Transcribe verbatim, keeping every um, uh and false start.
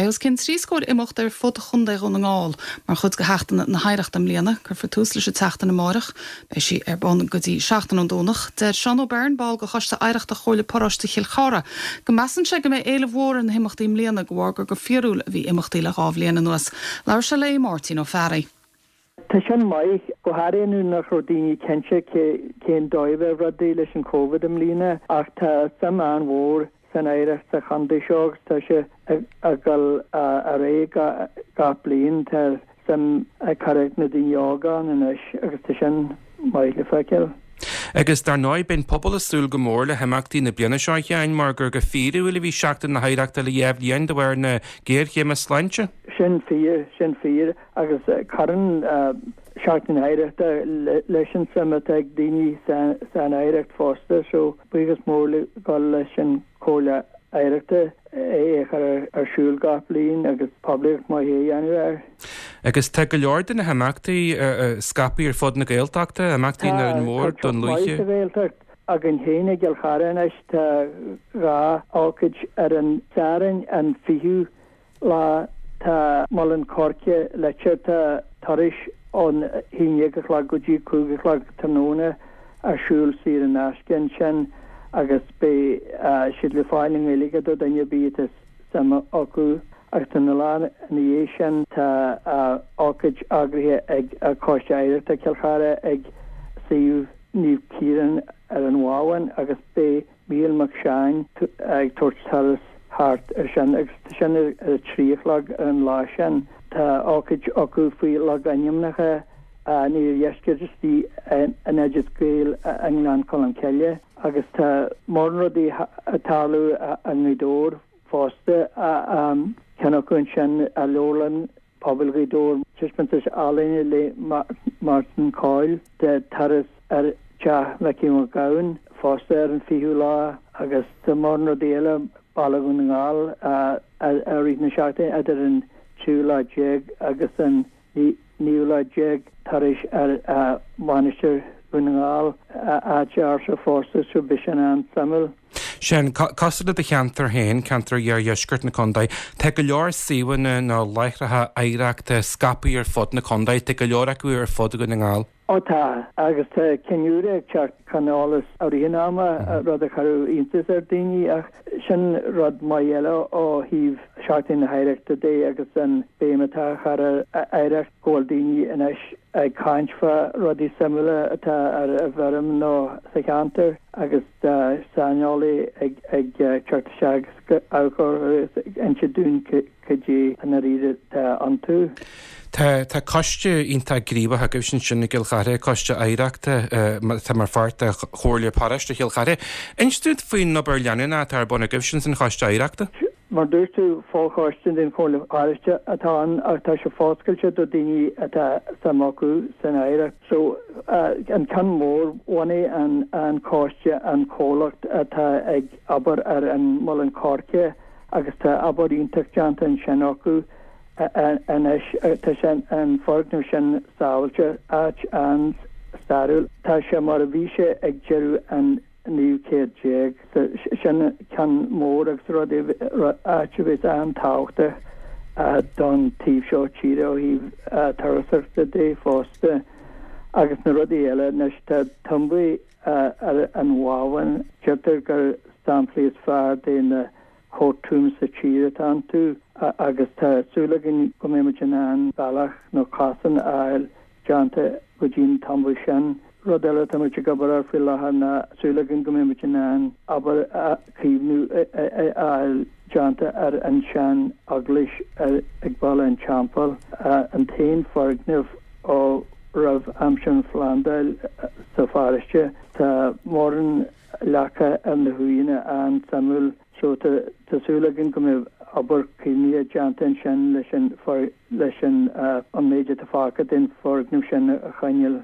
Beidh os cionn trí scór imeacht ar fud Chontae Dhún na nGall mar chuid de Sheachtain na hOidhreachta i mbliana, cuirfear tús leis an tseachtain amárach, beidh sí ar bun go dtí seachtain ón Domhnach. Deir Seán O'Byrne, ball de Choiste Oidhreachta Chomhairle Paróiste Chill Chartha, go measann sé go mbeidh éileamh mhór ar na himeachtaí i mbliana de bharr gur go fíorúil a bhí imeachtaí le dhá bhliain anuas. Labhair sé le Máirtín Ó Fearraigh. Tá sin maith go háirithe nuair nach raibh daoine cinnte cén dóigh a bheadh rudaí leis an Covid i mbliana ach tá suim an-mhór san oidhreacht sa chontae seo agus tá sé ag dul ar aghaidh gach bliain tá suim ag cur ag na daoine óga ann anois agus tá sin maith le feiceáil. Agus dar ndóigh beidh an pobal ag súil go mór le himeachtaí na bliana seo a Sheáin mar gur go fíorúil a bhí Seachtain na hOidhreachta le dhá bhliain de bharr na géarchéime sláinte. Sin fíor, sin fíor agus cuireann Seachtain na hOidhreachta leis an suim atá ag daoine san oidhreacht fosta so buíochas mór le dhul leis an Chomhairle Oidhreachta é a chur ar siúl gach bliain agus poiblíocht maith a dhéanamh air. Agus tá go leor de na himeachtaí scaipthe ar fud na Gaeltachta, imeachtaí na mór don Luaithe. Sa Ghaeltacht againn féin i gCill Chartha anois tá dhá ócáid ar an Satharn an fichiú lá tá Muileann Coirce Leitir tá turais ón haon déag a chlog go dtí cúig a chlog tráthnóna ar siúl saor in aisce ansin agus beidh siad le fáil i nGaeilge do dhuine ar bith atá suim acu agus an lá ina dhiaidh sin tá ócáid eagraithe ag Coiste Oidhreachta Chill Chartha ag suíomh Naomh Ciarán ar an Bhábhún agus beidh Mícheál Mac Seáin ag tabhairt turas thart ar sin agus tá sin ar a trí a chlog ar an lá sin. Tá ócáid acu faoi logainmneacha an iardheiscirt istigh in Oideas Gael i nGleann Cholm Cille agus tá mórán rudaí ag tarlú i nGaoth Dobhair fosta, ceann acu ansin i Leabharlann Pobail Ghaoth Dobhair, taispeántas ealaíne le Martin Coyle, tá turas ar Teach Mhicí Mac Gabhann fosta ar an fichiú lá agus tá mórán rudaí eile Baile Dhún na nGall i rith na seachtaine idir an tríú lá déag agus an naoú lá déag turais ar Mhainistir Dhún na nGall, áit ársa fosta so beidh sin an-suimiúil. Sin, cosúil le do cheantar féin, ceantar iardheisceart na contae, tá go leor suíomhanna nó láithreacha oidhreachta scaipthe ar fud na contae, tá go leor acu ar fud Dhún na nGall. Ó tá, agus tá cinn úra ag teacht chun eolais i rith an ama, rud a chuirfeadh iontas ar daoine, ach sin rud maith eile ó thaobh Seachtain na hOidhreachta de agus an béim atá á chur ar oidhreacht, go bhfuil daoine anois ag caint fá rudaí suimiúla atá ar an bhfeirm nó sa cheantar agus tá saineolaí ag ag teacht isteach agus ag amharc agus ag inse dúinn cad é i ndáiríre atá iontu. Tá tá coiste iontach gníomhach agaibhse ansin i gCill Chartha, Coiste Oidhreachta atá mar pháirt de Chomhairle Paróiste Chill Chartha. Inis dúinn faoin obair leanúnach atá ar bun agaibhse san Choiste Oidhreachta. Mar dúirt tú, fochoiste den Chomhairle Paróiste atá ann ach tá sé foscailte do daoine atá suim acu san oidhreacht. So an ceann mór, bhunaigh an an coiste an comhlacht atá ag obair ar an Muileann Coirce agus tá obair iontach déanta ansin acu. Anois tá sé an foirgneamh sin sábháilte, áit an-stairiúil. Tá sé mar a bhí sé ag deireadh an naoú céad déag. Sin ceann mór agus rud áit a bheas an-tábhachtach don taobh seo tíre ó thaobh turasóireachta de fosta. Agus na rudaí eile, anois tá tumbaí ar an Bhábhún, deirtear gur samplaí is fearr de na court tombs sa tír atá iontu agus tá súil againn go mbeidh muid in ann bealach nó cosán a fháil déanta go dtí an tumba sin. Rud eile atá muid ag obair air faoi láthair ná súil againn go mbeidh muid in ann obair caomhnú a fháil déanta ar an sean eaglais ag Baile an Teampaill, an t-aon foirgneamh ó roimh aimsir an Phlandáil sa pharóiste. Tá mórán leaca ar na huaigheanna an-suimiúil. So tá tá súil againn go mbeidh obair caomhnaithe déanta ansin leis an leis an an méid atá fágtha den foirgneamh sin a choinneáil.